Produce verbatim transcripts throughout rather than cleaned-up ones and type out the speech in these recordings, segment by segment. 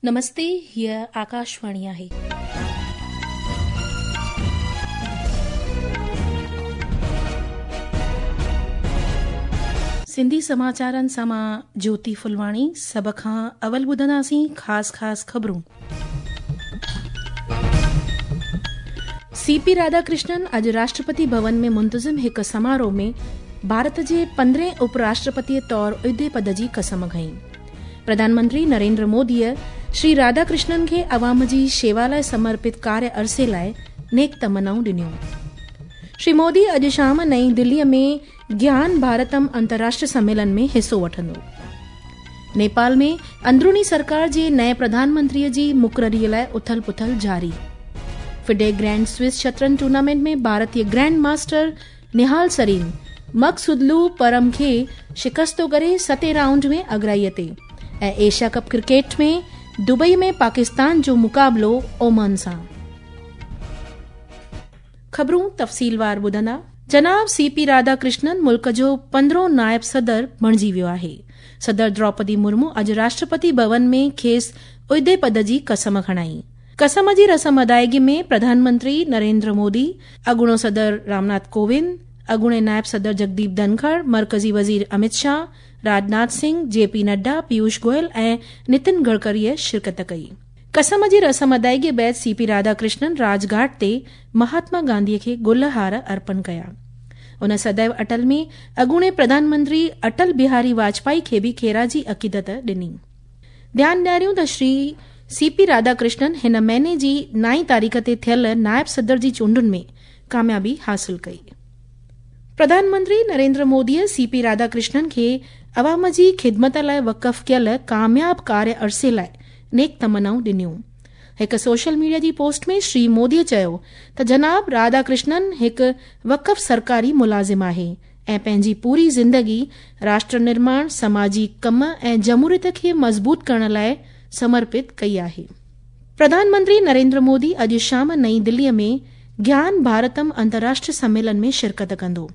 नमस्ते, हीअ आकाशवाणी आहे. सिंधी समाचारनि सां मां ज्योति फुलवाणी। सभ खां अवल ॿुधंदासीं ख़ासि ख़ासि ख़बरूं। सी पी राधाकृष्णन अॼु राष्ट्रपति भवन में मुंतज़िम हिकु समारोह में भारत जे पंद्रहें उपराष्ट्रपतीअ तौर उहिदे पद जी कसम खई। प्रधानमंत्री नरेंद्र मोदीअ श्री राधाकृष्णन खे अवाम जी शेवा लाइ समर्पित कार्य अरसे लाइ नेक तमन्नाऊं ॾिनियूं। श्री मोदी अॼु शाम नई दिल्लीअ में ज्ञान भारतम अंतर्राष्ट्रीय सम्मेलन में हिसो वठंदो। नेपाल में अंदरूनी सरकार जे नए प्रधानमंत्रीअ जी मुक़ररीअ लाइ उथल पुथल जारी। फिडे ग्रैंड स्विस शतरंज टूर्नामेंट में भारतीय ग्रैंड मास्टर निहाल सरीन मकसुदलू परम खे शिकस्तो करे सतें राउंड में अगराईअ ते। ऐं एशिया कप क्रिकेट में दुबई में पाकिस्तान जो मुक़ाबिलो ओमान सां। ख़बरूं तफ़सीलवार ॿुधंदा। जनाब सी पी राधाकृष्णन मुल्क जो पंद्रहों नायब सदर बणिजी वियो आहे। सदर द्रौपदी मुर्मू अॼु राष्ट्रपति भवन में खेसि उहिदे पद जी कसम खणाई। कसम जी रस्म अदायगी में प्रधानमंत्री नरेंद्र मोदी, अॻूणो सदर रामनाथ कोविंद, अॻूणे नायब सदर जगदीप धनखड़, मरकज़ी वज़ीर अमित शाह, राजनाथ सिंह, जे पी नड्डा, पीयूष गोयल ऐं नितिन गडकरीअ शिरकत कई। कसम जी रस्म अदायगी बाद सी पी राधाकृष्णन राजघाट ते महात्मा गांधीअ खे गुल हार अर्पण कया। उन सदैव अटल में अॻूणे प्रधानमंत्री अटल बिहारी वाजपेयी खे बि ख़ेराजी अक़ीदत ॾिनी। ध्यानु ॾियारियूं त श्री सी पी राधाकृष्णन हिन महीने जी नाई तारीख़ ते थियल नायब सदर जी चूंडुनि में कामयाबी हासिल कई। प्रधानमंत्री नरेंद्र मोदीअ सी पी राधाकृष्णन खे अवाम जी ख़िदमत लाइ वक़फ़ कयल कामयाब कार्य अरसे लाइ नेक तमन्नाऊं ॾिनियूं। हिकु सोशल मीडिया जी पोस्ट में श्री मोदीअ चयो त जनाब राधाकृष्णन हिकु वक़फ़ सरकारी मुलाज़िम आहे ऐं पंहिंजी पूरी ज़िंदगी राष्ट्र निर्माण, समाजी कम ऐं जमहूरियत खे मज़बूत करण लाइ समर्पित कई आहे। प्रधानमंत्री नरेंद्र मोदी अॼु शाम नई दिल्लीअ में ज्ञान भारतम अंतर्राष्ट्रीय सम्मेलन में शिरकत कंदो।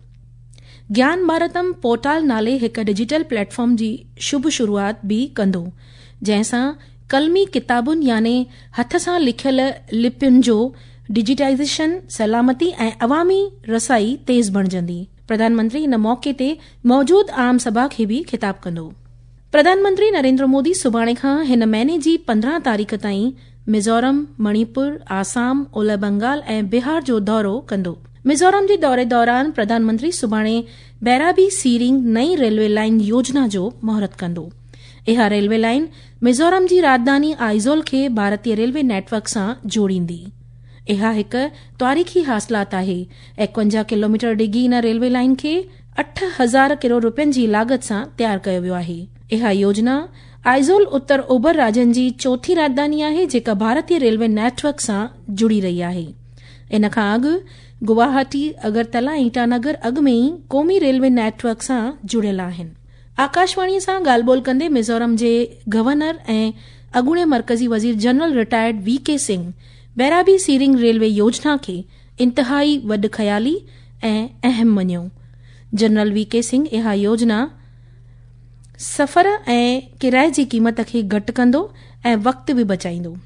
ज्ञान भारतम पोर्टल नाले हिकु डिजिटल प्लेटफॉर्म जी शुभ शुरूआत बि कंदो, जंहिंसां कलमी किताबुनि याने हथ सां लिखियल लिपियुनि जो डिजिटाइज़ेशन, सलामती ऐं अवामी रसाई तेज़ बणिजंदी। प्रधानमंत्री इन मौक़े ते मौजूद आम सभा खे बि ख़िताब कंदो। प्रधानमंत्री नरेंद्र मोदी सुभाणे खां हिन महीने जी पंद्रहं तारीख़ ताईं मिज़ोरम, मणिपुर, आसाम, ओलह बंगाल ऐं बिहार जो दौरो कंदो। मिज़ोरम जे दौरे दौरान प्रधानमंत्री सुभाणे बैराबी सीरिंग नई रेलवे लाइन योजना जो मुहूर्त कंदो। इहा रेलवे लाइन मिज़ोरम जी राजधानी आइज़ोल खे भारतीय रेलवे नेटवर्क सां जोड़ींदी। इहा हिकु तारीख़ी हासिलात आहे। एकवंजाह किलोमीटर डिघी इन रेलवे लाइन खे अठ हज़ार करोड़ रुपयनि जी लागत सां तयारु कयो वियो आहे। इहा योजना आइज़ोल उत्तर ओभर राज्यनि जी चोथी राजधानी आहे जेका भारतीय रेलवे नेटवर्क सां जुड़ी रही आहे। इन खां अॻु गुवाहाटी, अगरतला ऐं ईटानगर अॻु में ई क़ौमी रेलवे नेटवर्क सां जुड़ियल आहिनि। आकाशवाणीअ सां ॻाल्हि ॿोल कंदे मिज़ोरम जे गवर्नर ऐं अॻूणे मरकज़ी वज़ीर general retired V K Singh Bairabi Siring railway योजना खे इंतिहाई वॾ ख़याली ऐं अहम मञियो। जनरल वी के सिंह इहा योजना सफ़र ऐं किराए जी क़ीमत खे घटि कंदो ऐं वक़्तु बि बचाईंदो।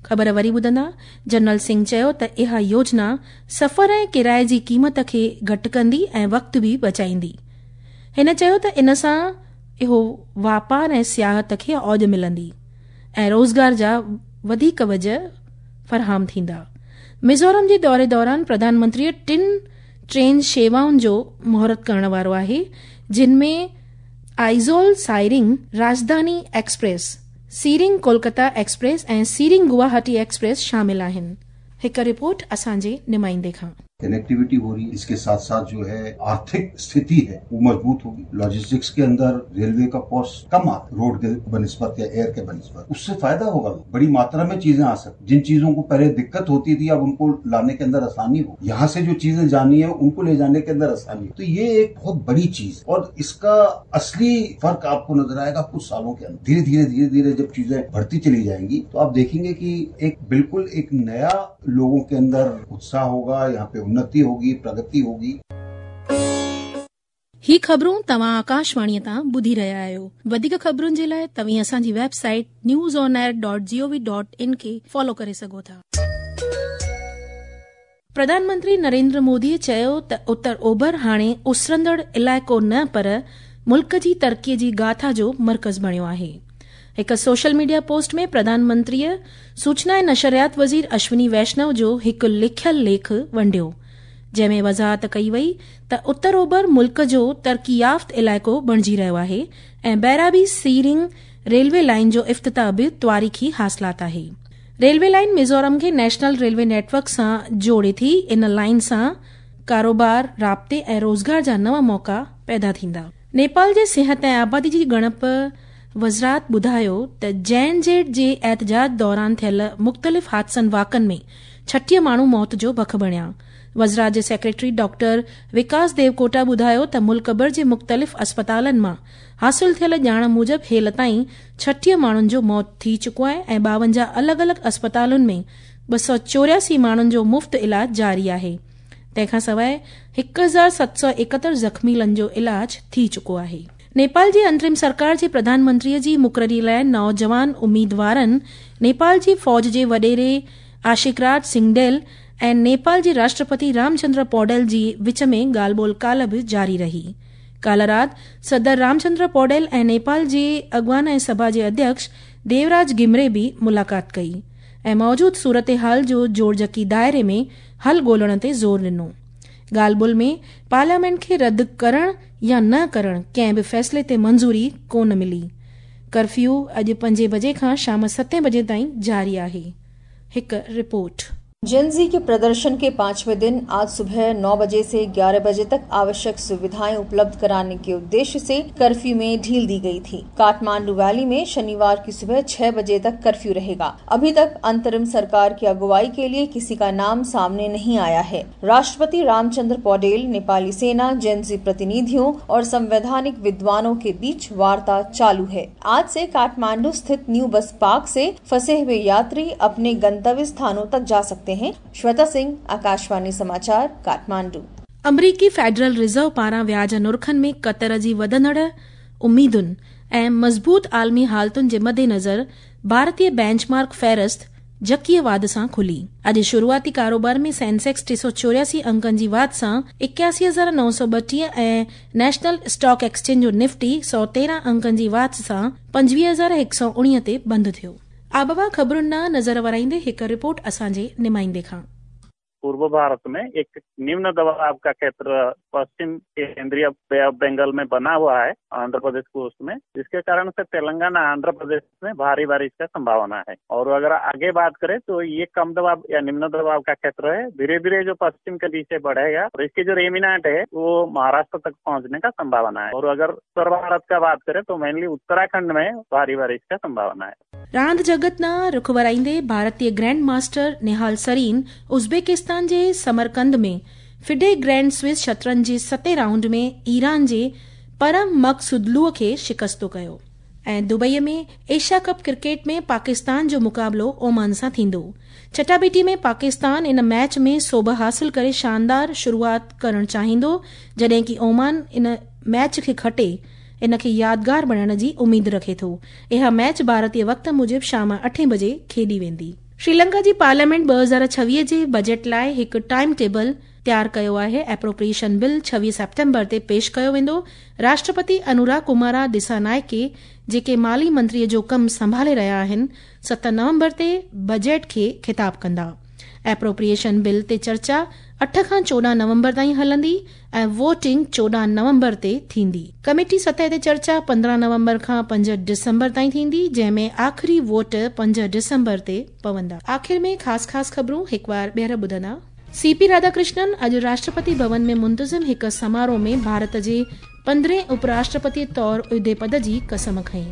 ख़बर वरी ॿुधंदा। जनरल सिंह चयो त इहा योजना सफ़र ऐं किराए जी क़ीमत खे घटि कंदी ऐं वक़्तु बि बचाईंदी। हिन चयो त इन सां इहो वापार ऐं सियाहत खे औज मिलंदी ऐं रोज़गार जा वधीक वजह फराहम थींदा। मिज़ोरम जे दौरे दौरान प्रधानमंत्रीअ टिनि ट्रेन शेवाउनि जो मुहूर्त करण वारो आहे, जिन में आइज़ोल सायरिंग राजधानी एक्सप्रेस, सीरिंग कोलकाता एक्सप्रेस ऐं सीरिंग गुवाहाटी एक्सप्रेस शामिल आहिनि। हिकु रिपोर्ट असांजे नुमाइंदे खां। कनेक्टिविटी हो रही है, इसके साथ साथ जो है आर्थिक स्थिति है वो मजबूत होगी। लॉजिस्टिक्स के अंदर रेलवे का कॉस्ट कम आता रोड के बनिस्बत या एयर के बनिस्बत, उससे फायदा होगा। बड़ी मात्रा में चीजें आ सकती, जिन चीजों को पहले दिक्कत होती थी अब उनको लाने के अंदर आसानी हो, यहाँ से जो चीजें जानी है उनको ले जाने के अंदर आसानी हो। तो ये एक बहुत बड़ी चीज और इसका असली फर्क आपको नजर आएगा कुछ सालों के अंदर। धीरे धीरे धीरे धीरे जब चीजें बढ़ती चली जाएंगी तो आप देखेंगे कि एक बिल्कुल एक नया लोगों के अंदर उत्साह होगा, यहाँ पे उन्नति होगी, प्रगति होगी। ही ख़बरूं तव्हां आकाशवाणीअ तां ॿुधी रहिया आहियो। वधीक ख़बरुनि जे लाइ तव्हीं असांजी website news on air dot G O V dot in खे फॉलो करे सघो था। प्रधानमंत्री नरेंद्र मोदीअ चयो त उत्तर ओभर हाणे उसरंदड़ इलाइक़ो न पर मुल्क जी तरक़ीअ जी गाथा जो मर्कज़ बणियो आहे। हिकु सोशल मीडिया पोस्ट में प्रधानमंत्रीअ सूचना ऐं नशरियात वज़ीर अश्विनी वैष्णव जो हिकु लिखियल लेख वंडियो, जंहिं में वज़ाहत कई वई त उत्तर ओभर मुल्क जो तरक़ी याफ़्त इलाइक़ो बणिजी रहियो आहे ऐं बैराबी सीरिंग रेलवे लाइन जो इफ़्तिताह बि तारीख़ी हासिलात आहे। रेलवे लाइन मिज़ोरम खे नेशनल रेलवे नेटवर्क सां जोड़े थी। इन लाइन सां कारोबार, राब्ते ऐं रोज़गार जा नवां मौक़ा पैदा थींदा। नेपाल जे सिहत ऐं आबादी जी ॻणप वज़ारत ॿुधायो त जैन जेड जे एहतजाज दौरान थियल मुख़्तलिफ़ हादसनि वाक़नि में छटीह माण्हू मौत जो बख बणिया। वज़ारत जे सेक्रेटरी डॉक्टर विकास देवकोटा ॿुधायो त मुल्क भर जे मुख़्तलिफ़ अस्पतालनि मां हासिल थियल ॼाण मूजिबि हेल ताईं छटीह माण्हुनि जो मौत थी चुको आहे ऐं ॿावंजाह अलॻि अलॻि अस्पतालुनि में ॿ सौ चोरियासी माण्हुनि जो मुफ़्त इलाज जारी आहे। तंहिंखां सवाइ हिकु हज़ार सत सौ एकहतरि ज़ख़्मीलनि जो इलाज थी चुको आहे। नेपाल जी अंतरिम सरकार जे प्रधानमंत्रीअ जी मुक़ररी लाइ नौजवान उम्मीदवारनि नेपाल जी फ़ौज जे वॾेरे आशिकराज सिंगडेल ऐं नेपाल जे राष्ट्रपति रामचंद्र पौडेल जी विच में ॻाल्हि ॿोल काल्ह बि जारी रही। काल्ह राति सदर रामचंद्र पौडेल ऐं नेपाल जे अॻवान ऐं सभा जे अध्यक्ष देवराज घिमिरे बि मुलाक़ात कई ऐं मौजूद सूरत हाल जो जोड़जकी दायरे में हल ॻोल्हण ते ज़ोर ॾिनो। ॻाल्हि ॿोल में पार्लियामेंट खे रद्द करण या न करण कंहिं बि फ़ैसिले ते मंज़ूरी कोन मिली। कर्फ्यू अॼु पंजे बजे खां शाम सतें बजे ताईं जारी आहे। हिकु रिपोर्ट। जेनजी के प्रदर्शन के पांचवें दिन आज सुबह नौ बजे से ग्यारह बजे तक आवश्यक सुविधाएं उपलब्ध कराने के उद्देश्य से कर्फ्यू में ढील दी गई थी। काठमांडू वैली में शनिवार की सुबह छह बजे तक कर्फ्यू रहेगा। अभी तक अंतरिम सरकार की अगुवाई के लिए किसी का नाम सामने नहीं आया है। राष्ट्रपति रामचंद्र पौडेल, नेपाली सेना, जेनजी प्रतिनिधियों और संवैधानिक विद्वानों के बीच वार्ता चालू है। आज से काठमांडू स्थित न्यू बस पार्क से फंसे हुए यात्री अपने गंतव्य स्थानों तक जा सकते हैं। श्वेता सिंह, आकाशवाणी समाचार, काठमांडू। अमरीकी फेडरल रिज़र्व पारां व्याज नुरखनि में कतर जी वधंदड़ उम्मीदुनि ऐं मज़बूत आलमी हालतुनि जे मद्देनज़र भारतीय बेंचमार्क फ़हरिस्त जकीअ वाध सां खुली। अॼु शुरूआती कारोबार में सेंसेक्स टे सौ चोरियासी अंकनि जी वाध सां इक्यासी हज़ार नौ सौ ॿटीह ऐं नेशनल स्टॉक एक्सचेंज जो निफ्टी सौ तेरहं अंकनि जी वाध सां पंजवीह हज़ार हिकु सौ उणीह ते बंदि थियो। आबहवा ख़बरुनि ॾांहुं नज़र वराईंदे हिकु रिपोर्ट असांजे नुमाइंदे खां। पूर्व भारत में एक निम्न दबाव का क्षेत्र पश्चिम केंद्रीय बे ऑफ बंगाल में बना हुआ है, आंध्र प्रदेश कोस्ट में, जिसके कारण से तेलंगाना आंध्र प्रदेश में भारी बारिश का संभावना है। और अगर आगे बात करें तो ये कम दबाव या निम्न दबाव का क्षेत्र है, धीरे धीरे जो पश्चिम के दिशा बढ़ेगा और इसके जो रेमिनाट है वो महाराष्ट्र तक पहुंचने का संभावना है। और अगर उत्तर भारत का बात करें तो मेनली उत्तराखंड में भारी बारिश का संभावना है। रांदि जगत ॾांहुं रुख वराईंदे भारतीय grand master Nihal Sarin Uzbekistan जे समरकंद में फिडे ग्रैंड स्विस शतरंज जे सतें राउंड में ईरान जे परम मक़सुदलूअ खे शिकस्तो कयो। ऐं दुबईअ में एशिया कप क्रिकेट में पाकिस्तान जो मुक़ाबिलो ओमान सां थींदो। चटाबेटी में पाकिस्तान इन मैच में सोभ हासिल करे शानदार शुरूआत करण चाहींदो, जॾहिं की ओमान इन मैच खे खटे इन खे यादगार बणाइण जी उम्मीद रखे थो। इहा मैच भारतीय वक़्त मूजिबि शाम अठें बजे खेॾी वेंदी। श्रीलंका जी पार्लियामेंट ॿ हज़ार छवीह जे बजट लाइ हिकु टाइम टेबल तयारु कयो आहे। एप्रोप्रिएशन बिल छवीह सेप्टेम्बर ते पेश कयो वेंदो। राष्ट्रपति अनुराग कुमारा दिसानायके, जेके माली मंत्रीअ जो कमु संभाले रहिया आहिनि, सत नवंबर ते बजट खे ख़िताब कंदा। एप्रोप्रिएशन बिल ते चर्चा अठ खां चोॾहं नवंबर ताईं हलंदी ऐं वोटिंग चोॾहं नवंबर ते थींदी। कमेटी सतह ते चर्चा पंद्रहं नवंबर खां पंज डिसंबर ताईं थींदी, जंहिंमें आख़िरी वोट पंज डिसंबर ते पवंदा। आख़िर में ख़ासि ख़ासि ख़बरूं हिकु बार ॿीहर ॿुधंदा। सीपी राधाकृष्णन अॼु राष्ट्रपति भवन में मुंतज़िम हिकु समारोह में भारत जे पंद्रहें उपराष्ट्रपति तौर उहिदे पद जी कसम खई।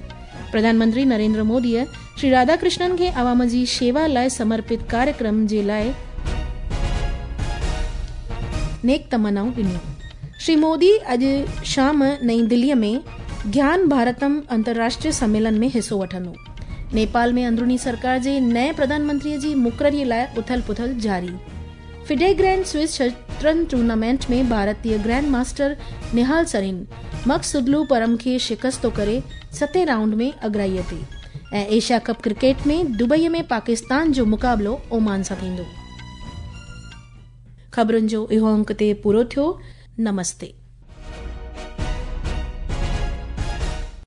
प्रधानमंत्री नरेंद्र मोदीअ श्री राधाकृष्णन खे अवाम जी शेवा लाइ समर्पित कार्यक्रम जे लाइ नेक तमन्नाऊं ॾिनियूं। श्री मोदी अॼु शाम नई दिल्लीअ में ज्ञान भारतम अंतर्राष्ट्रीय सम्मेलन में हिसो वठंदो। नेपाल में अंदरूनी सरकार जे नए प्रधानमंत्रीअ जी मुक़ररीअ लाइ उथल पुथल जारी। फिडे ग्रैंड स्विस शतरंज शतरंज टूर्नामेंट में भारतीय ग्रैंड मास्टर निहाल सरीन मकसुदलू परम खे शिकस्तो करे सतें राउंड में अगराईअ ते। ऐं एशिया कप क्रिकेट में दुबईअ में पाकिस्तान जो मुक़ाबिलो ओमान सां थींदो। ख़बरुनि जो इहो अंक ते पूरो थियो। नमस्ते।